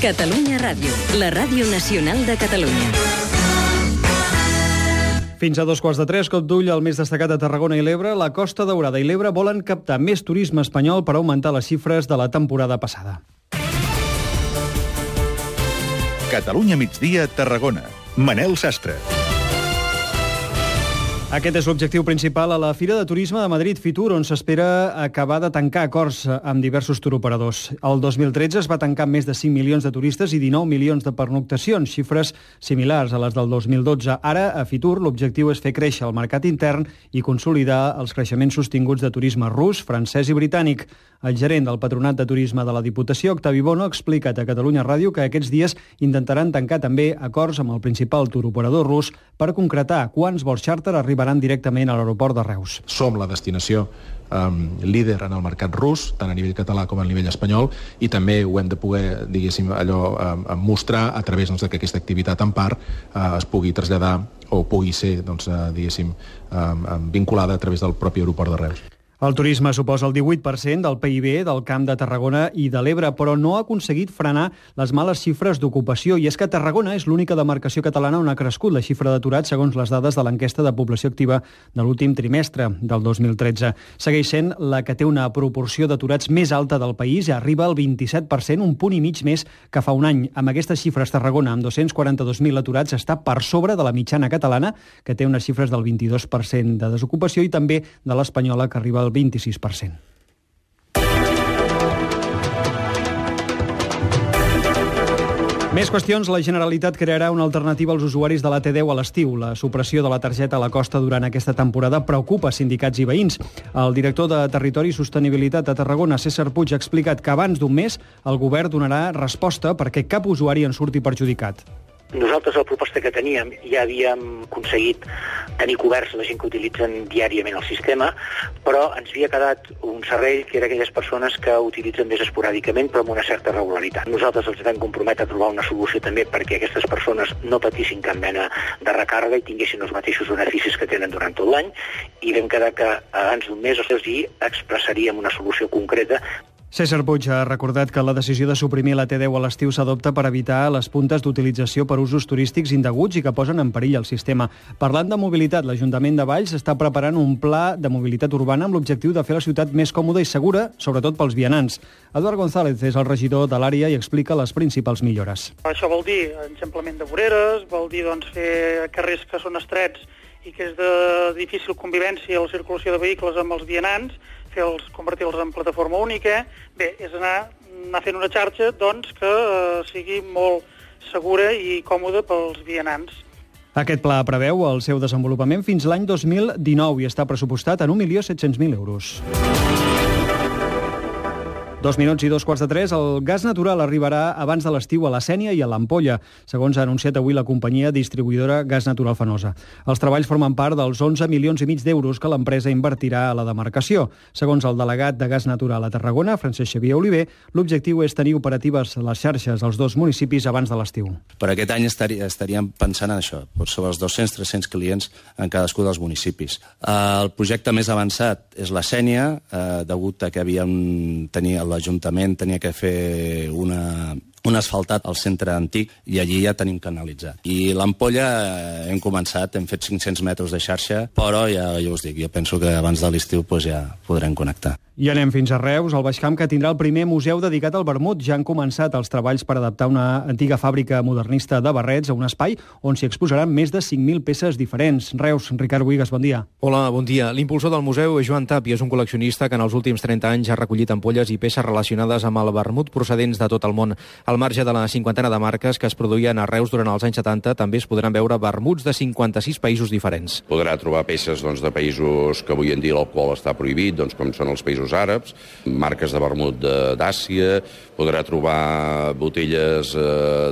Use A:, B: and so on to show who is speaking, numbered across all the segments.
A: Catalunya Ràdio, la ràdio nacional de Catalunya.
B: Fins a 2:15, cop d'ull al més destacat de Tarragona i l'Ebre. La Costa Daurada i l'Ebre volen captar més turisme espanyol per augmentar les xifres de la temporada passada.
C: Catalunya migdia, Tarragona. Manel Sastre.
B: Aquest és l'objectiu principal a la Fira de Turisme de Madrid Fitur, on s'espera acabar de tancar acords amb diversos turoperadors. El 2013 es va tancar amb més de 5 milions de turistes i 19 milions de pernoctacions, xifres similars a les del 2012. Ara, a Fitur, l'objectiu és fer créixer el mercat intern i consolidar els creixements sostinguts de turisme rus, francès i britànic. El gerent del Patronat de Turisme de la Diputació, Octavi Bono, ha explicat a Catalunya Ràdio que aquests dies intentaran tancar també acords amb el principal turoperador rus per concretar quants vols xàrter arribaran directament a l'aeroport de Reus.
D: Som la destinació líder en el mercat rus, tant a nivell català com a nivell espanyol, i també ho hem de poder, diguéssim, mostrar a través que aquesta activitat en part es pugui traslladar o pugui ser, diguéssim, vinculada a través del propi aeroport de Reus.
B: El turisme suposa el 18% del PIB del Camp de Tarragona i de l'Ebre, però no ha aconseguit frenar les males xifres d'ocupació. I és que Tarragona és l'única demarcació catalana on ha crescut la xifra d'aturats segons les dades de l'enquesta de població activa de l'últim trimestre del 2013. Segueix sent la que té una proporció d'aturats més alta del país i arriba al 27%, un punt i mig més que fa un any. Amb aquestes xifres, Tarragona, amb 242.000 aturats, està per sobre de la mitjana catalana, que té unes xifres del 22% de desocupació, i també de l'espanyola, que arriba al 26%. Més qüestions. La Generalitat crearà una alternativa als usuaris de la T10 a l'estiu. La supressió de la targeta a la costa durant aquesta temporada preocupa sindicats i veïns. El director de Territori i Sostenibilitat a Tarragona, César Puig, ha explicat que abans d'un mes el govern donarà resposta perquè cap usuari en surti perjudicat.
E: Nosaltres, la proposta que teníem, ja havíem aconseguit tenir coberts la gent que utilitzen diàriament el sistema, però ens havia quedat un servei que era aquelles persones que utilitzen més esporàdicament, però amb una certa regularitat. Nosaltres els vam comprometre a trobar una solució també perquè aquestes persones no patissin cap mena de recàrrega i tinguessin els mateixos beneficis que tenen durant tot l'any, i vam quedar que abans d'un mes els hi expressaríem una solució concreta.
B: César Puig ha recordat que la decisió de suprimir la T10 a l'estiu s'adopta per evitar les puntes d'utilització per usos turístics indeguts i que posen en perill el sistema. Parlant de mobilitat, l'Ajuntament de Valls està preparant un pla de mobilitat urbana amb l'objectiu de fer la ciutat més còmoda i segura, sobretot pels vianants. Eduard González és el regidor de l'àrea i explica les principals millores.
F: Això vol dir eixamplament de voreres, vol dir fer carrers que són estrets i que és de difícil convivència la circulació de vehicles amb els vianants, convertir-los en plataforma única. Bé, és anar fent una xarxa que sigui molt segura i còmoda pels vianants.
B: Aquest pla preveu el seu desenvolupament fins l'any 2019 i està pressupostat en 1.700.000 euros. 2 minuts i 2:15. El gas natural arribarà abans de l'estiu a la Sénia i a l'Ampolla, segons ha anunciat avui la companyia distribuïdora Gas Natural Fenosa. Els treballs formen part dels 11,5 milions d'euros que l'empresa invertirà a la demarcació. Segons el delegat de Gas Natural a Tarragona, Francesc Xavier Oliver, l'objectiu és tenir operatives les xarxes als dos municipis abans de l'estiu.
G: Per aquest any estaríem pensant en això, sobre els 200-300 clients en cadascú dels municipis. El projecte més avançat és la Sénia, degut a que l'Ajuntament tenia que fer un asfaltat al centre antic i allí ja tenim canalitzat. I l'Ampolla hem començat, hem fet 500 metres de xarxa, però ja us dic, jo penso que abans de l'estiu ja podrem connectar.
B: I anem fins a Reus, al Baix Camp, que tindrà el primer museu dedicat al vermut. Ja han començat els treballs per adaptar una antiga fàbrica modernista de barrets a un espai on s'hi exposaran més de 5.000 peces diferents. Reus, Ricard Buigas, bon dia.
H: Hola, bon dia. L'impulsor del museu és Joan Tàpia, és un col·leccionista que en els últims 30 anys ha recollit ampolles i peces relacionades amb el vermut procedents de tot el món. Al marge de la cinquantena de marques que es produïen a Reus durant els anys 70, també es podran veure vermuts de 56 països diferents.
I: Podrà trobar peces de països que avui en dia l'alcohol està prohibit, com són els països àrabs, marques de vermut d'Àsia, podrà trobar botelles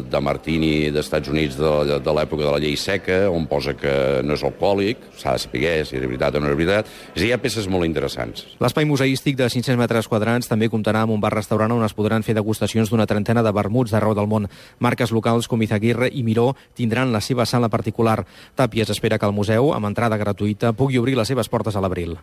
I: de martini d'Estats Units de l'època de la llei seca, on posa que no és alcohòlic, s'ha de saber si és veritat o no és veritat. Hi ha peces molt interessants.
H: L'espai museístic de 500 metres quadrats també comptarà amb un bar-restaurant on es podran fer degustacions d'una trentena de vermuts d'arreu del món. Marques locals com Izaguirre i Miró tindran la seva sala particular. Tàpies espera que el museu, amb entrada gratuïta, pugui obrir les seves portes a l'abril.